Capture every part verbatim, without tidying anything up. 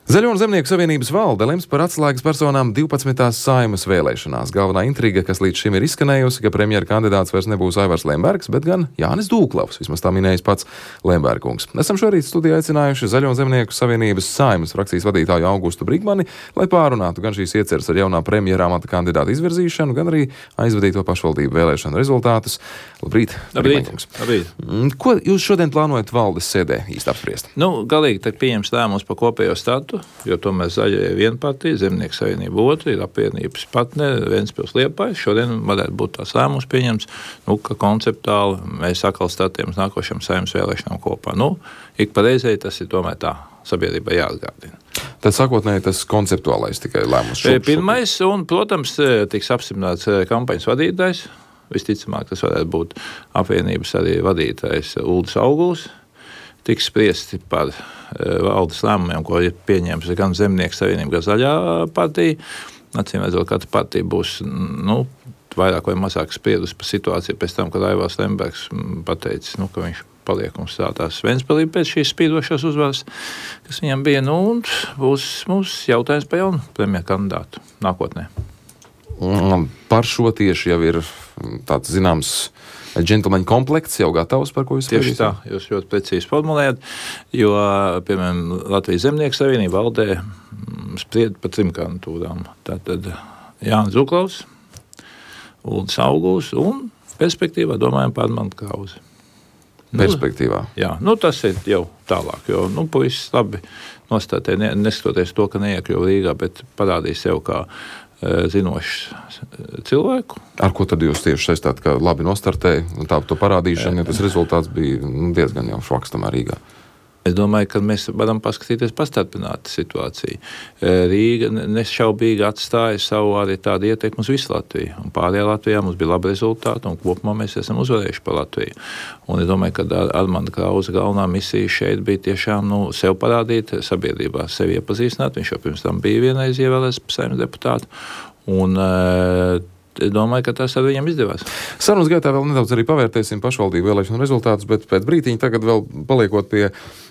Zaļo un Zemnieku savienības valde lems par atslēgas personām divpadsmitās Saeimas vēlēšanās. Galvenā intriga, kas līdz šim ir izskanējusi, ka premjera kandidāts vairs nebūs Aivars Lembergs, bet gan Jānis Dūklavs, vismaz tā minējis pats Lemberkungs. Esam šorīt studijā aicinājuši Zaļo un Zemnieku savienības Saeimas frakcijas vadītāju Augustu Brigmani, lai pārunātu gan šīs ieceres ar jaunā premjera amata kandidāta izvirzīšanu, gan arī aizvadīto pašvaldību vēlēšanu rezultātus. Labrīt, Brigmankungs. Labrīt. Ko jūs šodien plānojat valdes sēdē īsti apspriest? Nu, galīgi tad pieņems lēmums par kopējo statu, jo tomēr Zaļie viena partija, Zemnieku savienība otra, ir apvienības partneri, Ventspils Liepājs. Šodien varētu būt tās lēmums pieņems, nu, ka konceptuāli mēs atkal statiem uz nākošajām Saeimas vēlēšanām kopā. Nu, ik pa reizei tas ir tomēr tā sabiedrībai jāatgādina. Tad sākotnēji tas konceptuālais tikai lēmums. Šob, Pirmais, un, protams, tiks apstiprināts kampaņas vadītājs. Visticamāk, tas varētu būt apvienības arī vadītājs Uldis Auguls. Tiks spriesti par valdes lēmumiem, ko ir pieņēmusi gan Zemnieku savienība, gan Zaļā partija. Acīm redzot, katra partija būs nu, vairāk vai mazāk spriedusi par situāciju pēc tam, kad Aivars Lembergs pateicis, nu, ka viņš paliek un strādās Ventspilī pēc šīs spīdošās uzvaras, kas viņam bija. Nu, un būs mums jautājums par jaunu premjeru kandidātu nākotnē. Par šo tieši jau ir tāds zināms džentlmeņa komplekts, jau gatavs, par ko jūs tieši tā, jūs ļoti precīzi formulējat, jo, piemēram, Latvijas Zemnieku savienība valdē spried par trim kandidatūrām. Tātad Jānis Dūklavs, Uldis Auguls un perspektīvā domājam par Armandu Krauzi. Perspektīvā. Nu, jā, nu tas ir jau tālāk, jo, nu, puisis labi nostātē, ne, neskatoties to, ka neiekļuva Rīgā, bet parādīs sev kā zinošs cilvēku. Ar ko tad jūs tieši saistāt, ka labi nostartēja un tā to parādīšana, ja tas rezultāts bija diezgan jau švaks tamā Rīgā? Es domāju, ka mēs varam paskatīties pastarpināti situāciju. Rīga nešaubīgi atstāja savu arī tādu ietekmi uz visu Latviju. Un pārējā Latvijā mums bija labi rezultāti, un kopumā mēs esam uzvarējuši par Latviju. Un es domāju, ka Armanda Krauza galvenā misija šeit bija tiešām nu, sev parādīt, sabiedrībā sevi iepazīstināt. Viņš jau pirms tam bija vienreiz ievēlēts par Saeimas deputātu. Un es domāju, ka tas ar viņam izdevās. Sarunas gaitā vēl nedaudz arī pavērtēsim pašvaldību vēlēšanu rezultātus, bet pēc brītiņa tagad vēl paliekot pie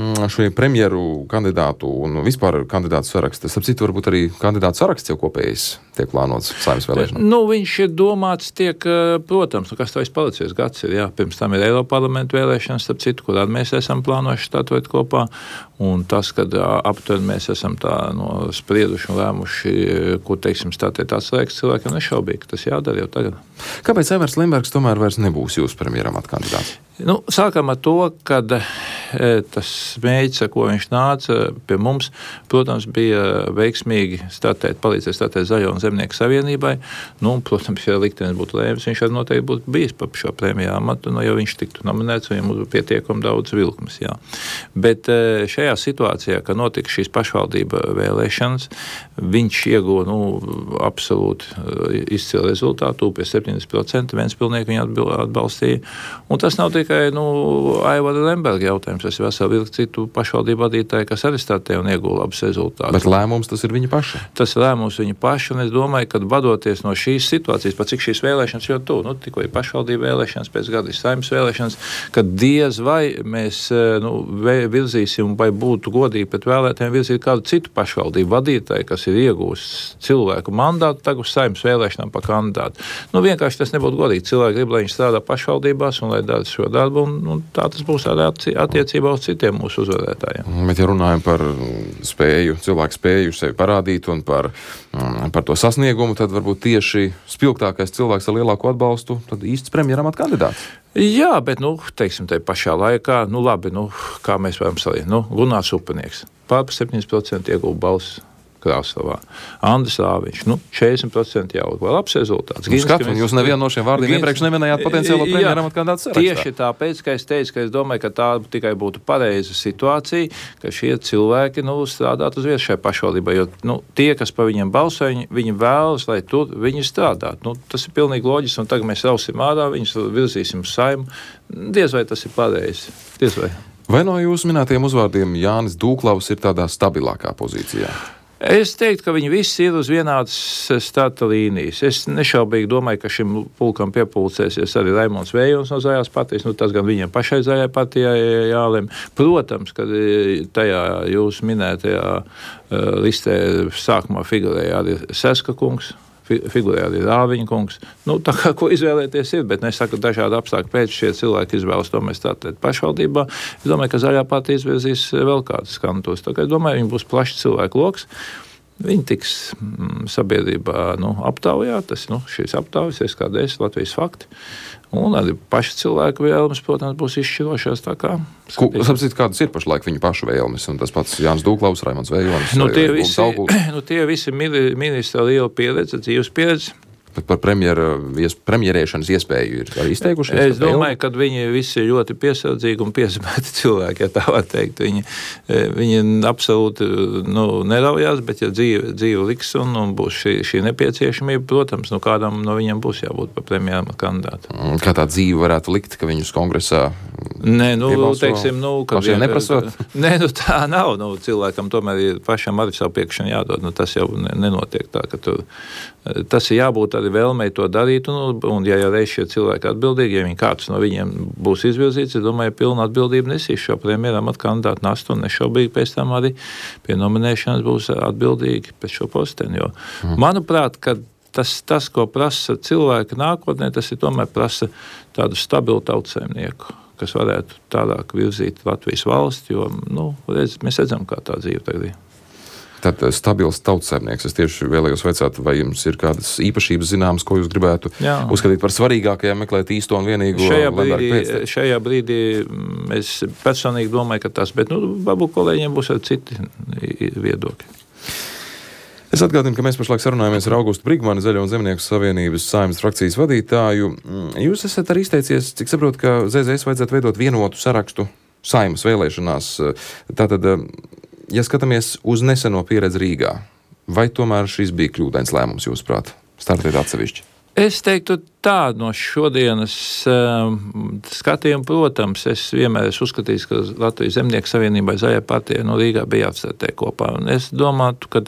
šo premjeru kandidātu un vispār kandidātu saraksta. Starp citu, varbūt arī kandidātu saraksts jau kopējais tiek plānots Saeimas vēlēšanām. Nu, viņš ir domāts tiek, protams, nu, kas tā ir palicies gads ir, jā, pirms tam ir Eiroparlamentu vēlēšanas, starp citu, kur mēs esam plānojuši statut kopā, un tas, kad aptuveni mēs esam tā no sprieduši un lēmuši, kur, teiksim, statēt atslēgas cilvēkiem, nešaubīgi, tas jādara jau tagad. Kāpēc Aivars Lembergs tomēr vairs nebūs jūsu premjeram atkandidāts? Nu, sākam ar to, kad e, tas mēģis, ar ko viņš nāca pie mums, protams, bija veiksmīgi statēt, palīdzēt statēt Zaļo un Zemnieku savienībai. Nu, protams, ja liktenis būtu lēmis, viņš arī noteikti būtu bijis par šo premjera amatu, nu, jo viņš tiktu nominēts, viņam būtu pietiekami daudz vilkmes, jā. Bet e, šajā situācijā, kad notika šīs pašvaldība vēlēšanas, viņš ieguva, nu, absolūti izcilu rezultātu, pie septiņdesmit procenti Ventspilnieki viņu atbalstīja. Un tas nav tikai nu, Aivara Lemberga jautājums, tas ir veseli vilki citu pašvaldību vadītāji, kas arī startē un iegūla labus rezultātus. Bet lēmums tas ir viņa paša? Tas ir lēmums viņa paša, un es domāju, ka vadoties no šīs situācijas, pat cik šīs vēlēšanas jau tu, nu, tikko ir pašvaldību vēlēšanas, pēc gada ir Saeimas vēlēšanas, kad diez vai mēs nu, virzīsim, vai būtu godīgi pret vēlētājiem virzīt kādu citu pašvaldību vadītāju, kas ir iegūst cilvēku mandātu, tagad uz Saeimas vēlēšanām pa kandidātu. Nu, vienkārši tas nebūtu godīgi. Cilvēki grib, lai viņi strādā pašvaldībās un lai dara šo darbu, un, un tā tas būs arī attiecībā uz citiem mūsu uzvarētājiem. Bet, ja runājam par spēju, cilvēku spēju sevi parādīt un par, par to sasniegumu, tad varbūt tieši spilgtākais cilvēks ar lielāko atbalstu, tad īsts premjera amata kandidāts. Jā, bet, nu, teiksim, tai pašā laikā, nu, labi, nu, kā mēs varam salīdzināt, nu, Gunārs Upenieks, pār par septiņdesmit procenti ieguva balsis Krāslavā. Andris Rāviņš, nu, četrdesmit procenti jau vēl labs rezultāts. Nu, skat, un jūs nevienu no šiem vārdiem iepriekš neminējāt potenciālo premjera amata kandidātu sarakstā. Tieši tāpēc, ka es teicu, ka es domāju, ka tā tikai būtu pareiza situācija, ka šie cilvēki, nu, strādātu uz vietas šai pašvaldībai, jo, nu, tie, kas pa viņiem balso, viņi, viņi vēlas, lai tur viņi strādātu. Nu, tas ir pilnīgi loģiski, un tagad mēs rausim ārā, viņus virzīsim uz Saimu. Diez vai tas ir pareizi. Diez vai. Vai no jūsu minētajiem uzvārdiem Jānis Dūklavs ir tādā stabilākā pozīcijā? Es teiktu, ka viņi visi ir uz vienādas starta līnijas. Es nešaubīgi domāju, ka šim pulkam piepulcēsies arī Raimonds Vējons no Zaļās partijas. Nu, tas gan viņiem pašai Zaļai partijai jālem. Protams, ka tajā jūs minētajā listē sākumā figurēja arī Seska kungs. Figurē arī Rāviņa kungs. Nu, tā kā ko izvēlēties ir, bet es saku, dažādi apstākļi pēc šie cilvēki izvēlas to mēs tātad pašvaldībā. Es domāju, ka Zaļā partija izvirzīs vēl kādus kantos. Tā kā es domāju, viņi būs plašs cilvēku loks. Viņi tiks mm, sabiedrībā nu, aptaujā, tas nu, šīs aptaujas, S K D S, Latvijas fakti. Un arī paši cilvēku vēlmes, protams, būs izšķirošās. Tā kā Sapcīt, kādas ir pašlaik viņu pašu vēlmes, un tas pats Jānis Dūklaus, Raimonds Vējonis. Nu, tie visi, nu, tie visi ministra liela pieredze, dzīves pieredze. Bet par premjera, premjerēšanas iespēju ir arī izteikušies? Es domāju, ka viņi visi ir ļoti piesardzīgi un piesmēti cilvēki, ja tā var teikt. Viņi, viņi absolūti nu, neraujās, bet ja dzīve, dzīve liks un, un būs šī, šī nepieciešamība, protams, nu kādam no viņiem būs jābūt par premjera kandidātu. Kā tā dzīve varētu likt, ka viņus kongresā Nē, nu, piebalso, teiksim, nu, ka pašiem neprasot? Nē, nu tā nav. Nu, cilvēkam tomēr ir pašam arī savu piekrišanu jādod. Nu, tas jau nenotiek tā, ka tu, tas ir jābūt arī vēlmei to darīt, un, un ja jau reiz šie cilvēki atbildīgi, ja viņi kāds no viņiem būs izvirzīts, es domāju, pilna atbildība nesīs šo premjeram at kandidātu nastu, un nešaubīgi pēc tam arī pie nominēšanas būs atbildīgi pēc šo posteni, jo, mm. manuprāt, ka tas, tas, ko prasa cilvēki nākotnē, tas ir tomēr prasa tādu stabilu tautsaimnieku, kas varētu tālāk virzīt Latvijas valsti, jo, nu, redz, mēs redzam, kā tā dzīve tagad ir. Tad stabils tautsaimnieks. Es tieši vēlējos vaicāt, vai jums ir kādas īpašības zināmas, ko jūs gribētu Jā. uzskatīt par svarīgākajām, meklēt īsto un vienīgo šajā brīdī, šajā brīdī es personīgi domāju, ka tas, bet, nu, varbūt kolēģiem būs arī citi viedokļi. Es atgādinu, ka mēs pašlaik sarunājamies ar Augustu Brigmani, Zaļo un Zemnieku savienības Saeimas frakcijas vadītāju. Jūs esat arī izteicies, cik saprotu, ka Z Z S vajadzētu veidot vienotu sarakstu Saeimas vēlēšanās. Tātad, ja skatāmies uz neseno pieredzi Rīgā, vai tomēr šis bija kļūdains lēmums, jūsuprāt, startēt atsevišķi? Es teiktu tā, no šodienas uh, skatījuma, protams, es vienmēr esmu uzskatījis, ka Latvijas Zemnieku savienībai Zaļai partijai no Rīgā bija jāatstartē kopā. Un es domātu, ka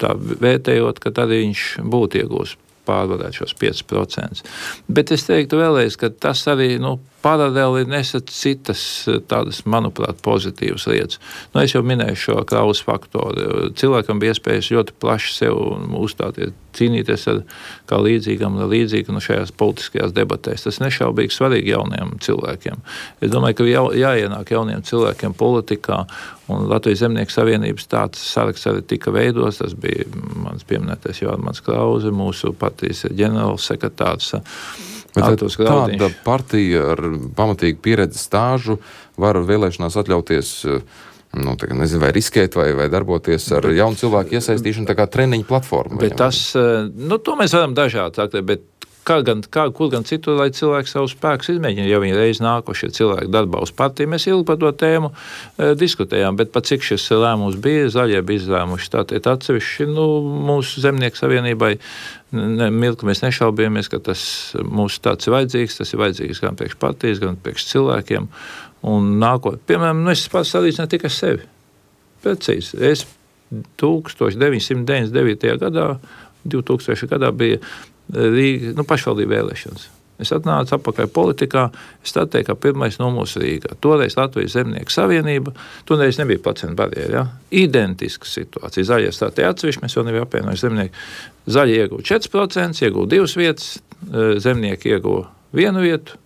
tā vērtējot, ka arī viņš būtu iegūst pārvarēt šos piecus procentus. Bet es teiktu vēlreiz, ka tas arī, nu, paralēli nesa citas tādas, manuprāt, pozitīvas lietas. Nu, es jau minēju šo Krausa faktoru. Cilvēkam bija iespējas ļoti plaši sev uzstāties, cīnīties ar kā līdzīgam un līdzīgu no šajās politiskajās debatēs. Tas nešaubīgi svarīgi jauniem cilvēkiem. Es domāju, ka jā, jāienāk jauniem cilvēkiem politikā, un Latvijas Zemnieku savienības tāds saraksts arī tika veidos. Tas bija mans pieminētais Jārmans Krause, mūsu partijas ģenerāls sekretārs. Bet tāda partija ar pamatīgu pieredzi stāžu var vēlēšanās atļauties, nu, tā, nezinu, vai riskēt, vai, vai darboties ar bet, jaunu cilvēku iesaistīšanu, tā kā treniņu platformu. Bet tas, nu, to mēs varam dažādi sakt, bet kā gan, kā, kur gan citur, lai cilvēki savus spēkus izmēģina, ja viņi reiz nākošie cilvēki darbā uz partiju. Mēs ilgi par to tēmu e, diskutējām, bet pat cik šis lēmums bija, Zaļie bija izlēmuši tātad atsevišķi, nu, mūsu Zemnieku savienībai, ne, milki mēs nešaubījāmies, ka tas mūsu tāds ir vajadzīgs, tas ir vajadzīgs gan priekš partijas, gan priekš cilvēkiem, un nākot, piemēram, nu, es pats salīdzinu tikai sevi, precīzi, es tūkstoš deviņsimt deviņdesmit devītajā gadā, divtūkstošajā gadā bija Rīga, nu, pašvaldību vēlēšanas. Es atnācu atpakaļ politikā, es startēju kā pirmais numurs Rīgā. Toreiz Latvijas Zemnieku savienība, toreiz nebija pacientu barjeri, ja? Identiska situācija. Zaļie startēja atsevišķi, mēs vēl nebija apvienojuši zemnieku. Zaļie ieguva četri procenti, ieguva divas vietas, zemnieki ieguva vienu vietu,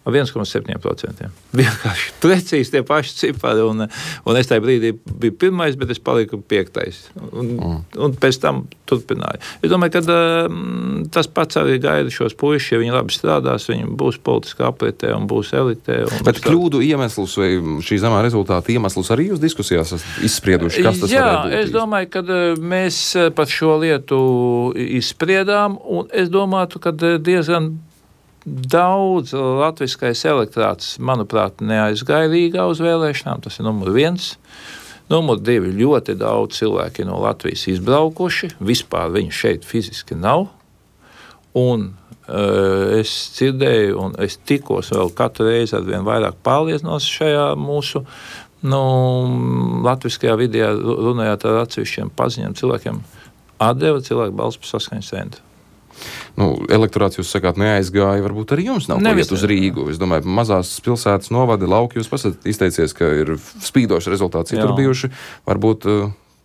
ar viens komats septiņi procenti. Vienkārši precīzi tie paši cipari, un, un es tajā brīdī biju pirmais, bet es paliku piektais. Un, mm. un pēc tam turpināju. Es domāju, ka um, tas pats arī gaida šos puišus, ja viņi labi strādās, viņi būs politiskā apritē un būs elitē. Un bet kļūdu iemeslus vai šī zemā rezultāta iemeslus arī jūs diskusijās izsprieduši, kas tas Jā, varētu būt? Jā, es domāju, ka mēs par šo lietu izspriedām, un es domātu, ka diezgan daudz latviskais elektorāts, manuprāt, neaizgāja Rīgā uz vēlēšanām, tas ir numur viens. Numur divi, ļoti daudz cilvēki no Latvijas izbraukuši, vispār viņu šeit fiziski nav. Un uh, es dzirdēju, un es tikos vēl katru reizi ar vien vairāk pārliecinos šajā mūsu Nu, latviskajā vidē runājot ar atsevišķiem paziņiem cilvēkiem, atdeva cilvēku balsu par Saskaņas centru. Nu, elektorāts, jūs sakāt, neaizgāja, varbūt arī jums nav Nevis, ko iet uz Rīgu. Es domāju, mazās pilsētas novadi, lauki, jūs pasat izteicies, ka ir spīdoši rezultāti citur bijuši. Varbūt,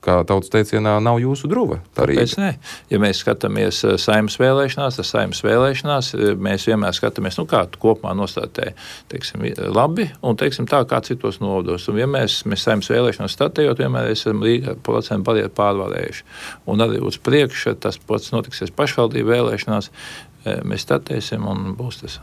kā tautas teicienā, nav jūsu druva. Kāpēc ne? Ja mēs skatāmies Saeimas vēlēšanās, tas Saeimas vēlēšanās, mēs vienmēr skatāmies, nu kā kopumā nostādē, teiksim, labi, un teiksim tā kā citos novados. Un ja mēs, mēs Saeimas vēlēšanās statējot, vienmēr esam Rīgā procentu barjeru pārvarējuši. Un arī uz priekšu tas pats notiksies pašvaldību vēlēšanās, mēs statēsim un būs tas.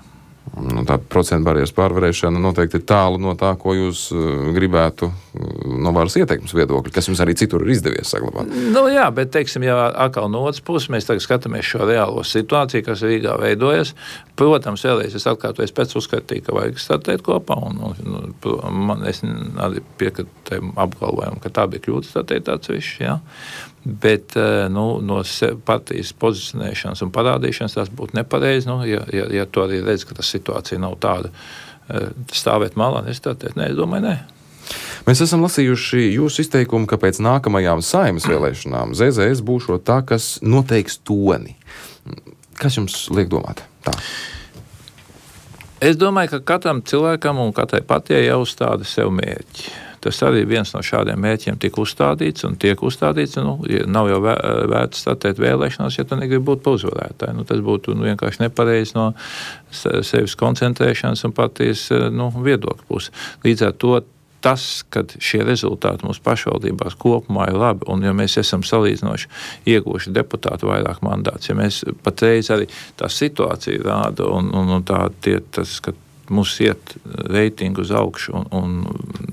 Nu, tā procentu barjeras pārvarēšana noteikti ir tālu no tā, ko jūs uh, gribētu uh, no varas ieteikums viedokļa, kas jums arī citur ir izdevies saglabāt. Nu jā, bet, teiksim, ja atkal no otras puses mēs tagad skatāmies šo reālo situāciju, kas Rīgā veidojas, protams, vēlreiz es atkārtoju, pēc uzskatīju, ka vajag statēt kopā, un, un, un man, es arī piekratu tam apgalvojumu, ka tā bija kļūda statēt atsevišķi, jā. Bet nu, no partijas pozicionēšanas un parādīšanas tas būtu nepareizi, nu, ja, ja, ja to arī redz, ka tā situācija nav tāda, stāvēt malā, nestatēt, nē, es domāju, nē. Mēs esam lasījuši jūsu izteikumu, ka pēc nākamajām Saeimas vēlēšanām Z Z S būšot tā, kas noteiks toni. Kas jums liek domāt tā? Es domāju, ka katram cilvēkam un katrai partijai jāuzstāda sev mērķi. Tas arī viens no šādiem mērķiem tika uzstādīts un tiek uzstādīts. Nu, nav jau vērts statēt vēlēšanās, ja tu negribi būt par uzvarētāju. Nu, tas būtu nu, vienkārši nepareizi no sevis koncentrēšanas un partijas nu, viedokļa puses. Līdz ar to tas, ka šie rezultāti mūsu pašvaldībās kopumā ir labi, un ja mēs esam salīdzinoši ieguvuši deputātu vairāk mandāts, ja mēs patreiz arī tā situācija rāda, un, un, un tā tie, tas, ka mums iet reitingu uz augšu, un, un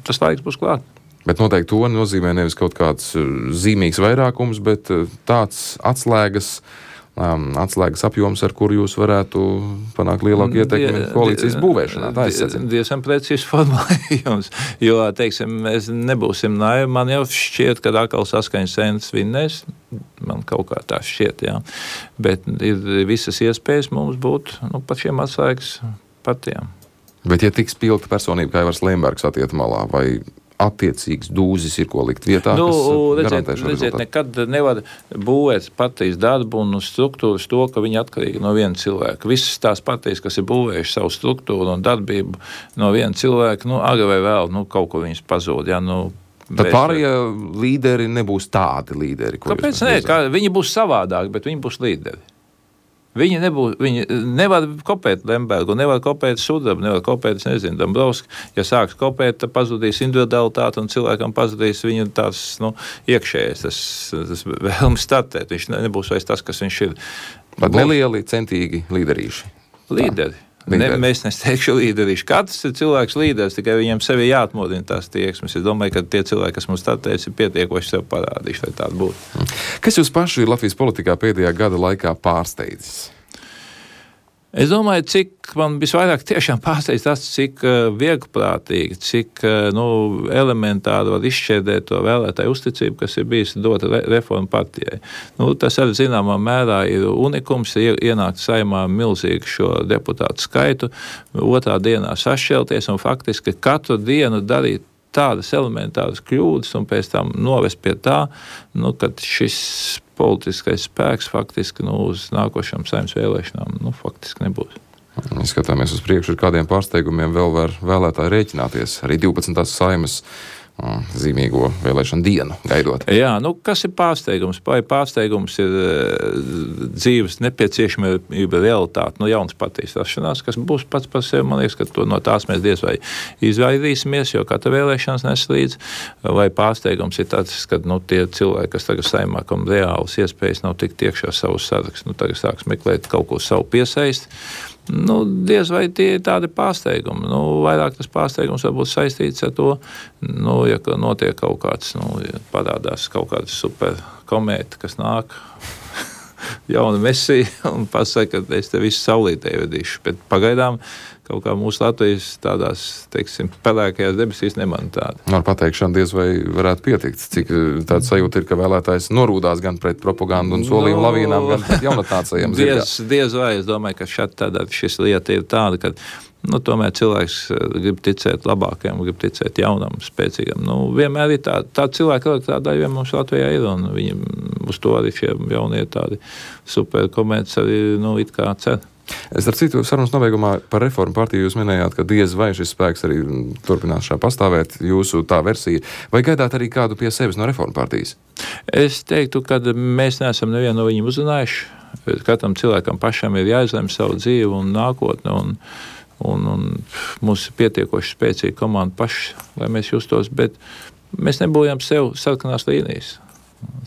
tas laiks būs klāt. Bet noteikti to nozīmē nevis kaut kāds zīmīgs vairākums, bet tāds atslēgas, um, atslēgas apjoms, ar kuru jūs varētu panākt lielāku ietekmi koalīcijas būvēšanā. Tā es secinu. Diezgan precīzi formulējums, jo, teiksim, mēs nebūsim naivi. Man jau šķiet, ka atkal Saskaņas centrs vinnēs. Man kaut kā tā šķiet, jā. Bet ir visas iespējas mums būt nu, pat šiem atslēgas partijām. Bet, ja tiks pilta personība, kā Aivars Lembergs atiet malā, vai attiecīgs dūzis ir ko likt vietā, nu, kas garantē redziet, šo redziet, rezultātu? nekad nevar būvēt partijas darbu un struktūras to, ka viņi atkarīgi no viena cilvēka. Visas tās partijas, kas ir būvējuši savu struktūru un darbību no viena cilvēka, nu, agri vai vēl, nu, kaut ko viņas pazūd, jā, nu, Tad pārējie līderi nebūs tādi līderi, ko Kāpēc ne? Kā, viņi būs savādāki, bet viņi būs līderi. Viņi, nebūs, viņi nevar kopēt Lembergu, nevar kopēt Sudrabu, nevar kopēt, es nezinu, Dombrovski. Ja sāks kopēt, tad pazudīs individualitāte un cilvēkam pazudīs viņa tās, nu, iekšējais, tas, tas vēlmes startēt. Viņš nebūs vairs tas, kas viņš ir. Pat nelieli, centīgi līderīši. Līderi. Ne, mēs nesteikšu līderīši. Katrs ir cilvēks līderis, tikai viņam sevi jāatmodina tās tieksmes. Es domāju, ka tie cilvēki, kas mums startēs, ir pietiekoši sev parādījuši, lai tāda būtu. Kas jūs paši Latvijas politikā pēdējā gada laikā pārsteidzis? Es domāju, cik man visvairāk tiešām pārsteidz tas, cik uh, vieglprātīgi, cik uh, nu, elementāri var izšķērdēt to vēlētāju uzticību, kas ir bijis dota re reformu partijai. Nu, tas arī zināmā mērā ir unikums, ir ienākt Saeimā milzīgi šo deputātu skaitu, otrā dienā sašķelties un faktiski katru dienu darīt tādas elementāras kļūdas un pēc tam novest pie tā, nu, kad šis politiskais spēks faktiski nu, uz nākošām Saeimas vēlēšanām nu, faktiski nebūs. Ja skatāmies uz priekšu, ar kādiem pārsteigumiem vēl var vēlētāji rēķināties. Arī divpadsmitās Saeimas zīmīgo vēlēšanu dienu gaidot. Jā, nu kas ir pārsteigums? Pārsteigums ir dzīves nepieciešamība realitāte, nu jaunas partijas rašanās, kas būs pats par sevi, man liekas, ka to, no tās mēs diez vai izvairīsimies, jo katra vēlēšanas nes līdz, vai pārsteigums ir tāds, ka nu, tie cilvēki, kas tagad Saeimā, kam reāls iespējas nav tikt iekšā savus sarakstu, nu tagad sāks meklēt kaut ko savu piesaist. Nu, diez vai tie ir tādi pārsteigumi. Nu, vairāk tas pārsteigums var būt saistīts ar to, nu, ja notiek kaut kāds, nu, ja parādās kaut kāds super komēta, kas nāk jauna mesija un pasaka, ka es te visu saulītē vedīšu. Bet pagaidām kaut kā mūsu Latvijas tādās, teiksim, pelēkajās debesīs nemana tāda. Ar pateikšanu diez vai varētu pietikt, cik tāda sajūta ir, ka vēlētājs norūdās gan pret propagandu un solījumu no, lavīnām, gan pret jaunatnācējiem. Diez, diez vai, es domāju, ka šeit tādā šis lieta ir tāda, ka nu, tomēr cilvēks grib ticēt labākajam, grib ticēt jaunam, spēcīgam. Nu, vienmēr ir tā, tā cilvēka elektrāda daļa mums Latvijā ir, un viņi uz to arī šie jaunie tādi superkomerci arī, nu, it kā cer. Es ar citu sarunas nobeigumā par Reformu partiju jūs minējāt, ka diez vai šis spēks arī turpinās šā pastāvēt, jūsu tā versija. Vai gaidāt arī kādu pie sevis no Reformu partijas? Es teiktu, ka mēs neesam nevienu no viņiem uzrunājuši. Katram cilvēkam pašam ir jāizlem savu dzīvi un nākotni, un Un, un mums ir pietiekoši spēcīga komanda paši, lai mēs justos, bet mēs nebūjam sev sarkanās līnijas.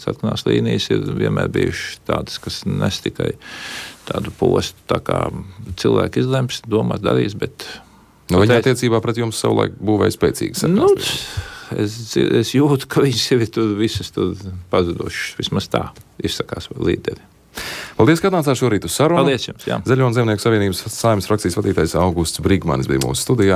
Sarkanās līnijas ir vienmēr bijušas tādas, kas nes tikai tādu postu, tā kā cilvēki izlems, domās, darīs, bet... Nu, viņa attiecībā pret jums savulaik būvēja spēcīgas sarkanās nu, līnijas. Es, es jūtu, ka viņas sevi tur visas tur pazudušas, vismaz tā izsakās līderi. Paldies, ka atnācāt šorīt uz sarunu. Paldies jums, jā. Zaļo un Zemnieku savienības Saeimas frakcijas vadītājs Augusts Brīgmanis bija mūsu studijā.